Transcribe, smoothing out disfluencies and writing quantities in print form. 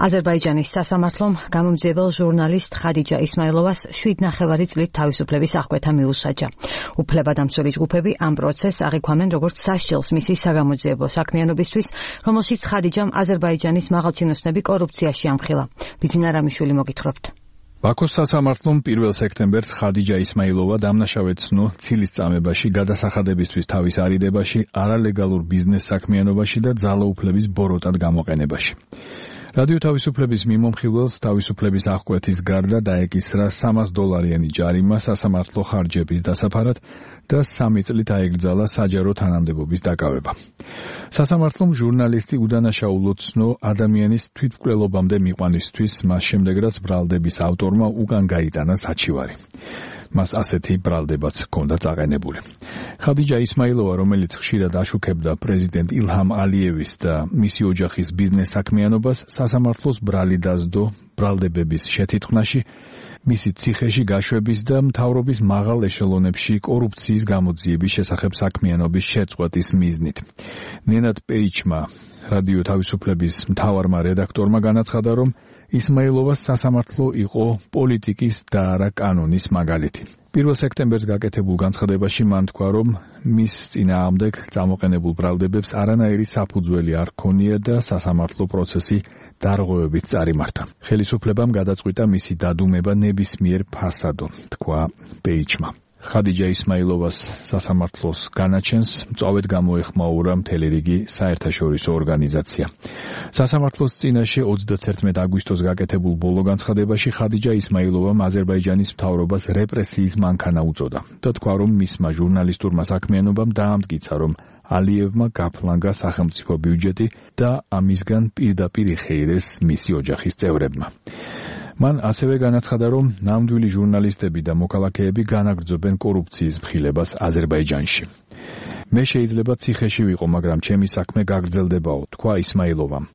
აზერბაიჯანის სასამართლომ გამომძიებელ ჟურნალისტ ხადიჯა ისმაილოვას 7,5 წლით თავისუფლების აღკვეთა მიუსაჯა. უფლებადამცველი ჯგუფები ამ პროცესს აღიქვამენ როგორც სასჯელს მისი საგამოძიებო საქმიანობისთვის, რომელშიც ხადიჯამ აზერბაიჯანის მაღალჩინოსნები კორუფციაში ამხილა. ბიძინა რამიშვილი მოგითხრობთ. ბაქოს სასამართლომ 1 სექტემბერს ხადიჯა ისმაილოვა დამნაშავედ ცნო ცილის წამებაში, გადასახადებისთვის თავის არიდებაში, არალეგალურ ბიზნეს საქმიანობაში და ძალაუფლების ბოროტად გამოყენებაში. რადიო თავისუფლების მიმომხილველს თავისუფლების აღკვეთის გარდა დაეკისრა $300 ჯარიმა სასამართლო ხარჯების დასაფარად და 3 წლით აეკრძალა საჯარო თანამდებობის დაკავება. სასამართლომ ჟურნალისტი udანაშაულოდ ცნო ადამიანის თვითმკვლელობამდე მიყვანისთვის, მას შემდეგ რაც ბრალდების ავტორმა უკან გაიტანა საჩივარი. მას ასეთი ბრალდებაც ჰქონდა წაყენებული. ხადიჯა ისმაილოვა, რომელიც ხშირად აშუქებდა პრეზიდენტ ილჰამ ალიევის და მისი ოჯახის ბიზნეს საქმიანობას, სასამართლოს ბრალი დასდო ბრალდებების შეთითქმაში, მისი ციხეში გაშვების და მთავრობის მაღალ ეშელონებში კორუფციის გამოძიების შესახებ საქმიანობის შეწყვეტის მიზნით. ნენად პეიჩმა, რადიო თავისუფლების მთავარმა რედაქტორმა განაცხადა, რომ ისმაილოვას სასამართლო იყო პოლიტიკის და არა კანონის მაგალითი. 1 სექტემბერს გაკეთებულ განცხადებაში მან თქვა, რომ მის წინააღმდეგ წამოყენებულ ბრალდებებს არანაირი საფუძველი არ ჰქონია და სასამართლო პროცესი დარღვევებით წარიმართა. ხელისუფლებამ გადაწყვიტა მისი დადუმება ნებისმიერ ფასადო, თქვა პეიჩმა. ხადიჯა ისმაილოვას სასამართლოს განაჩენს მწვავედ გამოეხმაურა მთელი რიგი საერთაშორისო ორგანიზაცია. სასამართლოს წინაშე 31 აგვისტოს გაკეთებულ ბოლო განცხადებაში ხადიჯა ისმაილოვამ აზერბაიჯანის მთავრობას რეპრესიის მანქანა უწოდა და თქვა, რომ მისმა ჟურნალისტურმა საქმიანობამ დაამტკიცა, რომ ალიევმა გაფლანგა სახელმწიფო ბიუჯეტი და ამისგან პირდაპირ იხეირეს მისი ოჯახის წევრებმა. მან ასევე განაცხადა, რომ ნამდვილი ჟურნალისტები და მოქალაქეები განაგრძობენ კორუფციის მხილებას აზერბაიჯანში. მე შეიძლება ციხეში ვიყო, მაგრამ ჩემი საქმე გაგრძელდებაო, თქვა ისმაილოვამ.